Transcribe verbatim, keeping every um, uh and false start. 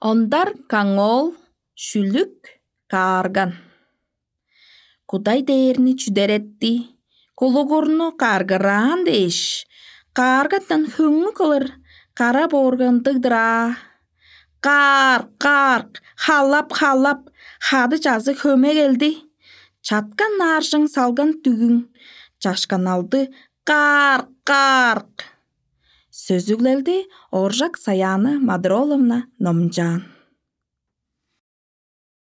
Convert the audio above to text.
Ондар каңоол шүлүк каарган. Кудай дээрни чүдеретти, кулугурну каргыраан дээш, кааргаттан хөңнү кылыр кара бооргандыг-дыр аа. Каар, каарк, халап, халап, хады чазы хөме келди. Чаткан нааржың салган дүгүң, чашканалды каар, каарк. Сөзүглелди Оржак Саяны Мадроловна номчаан.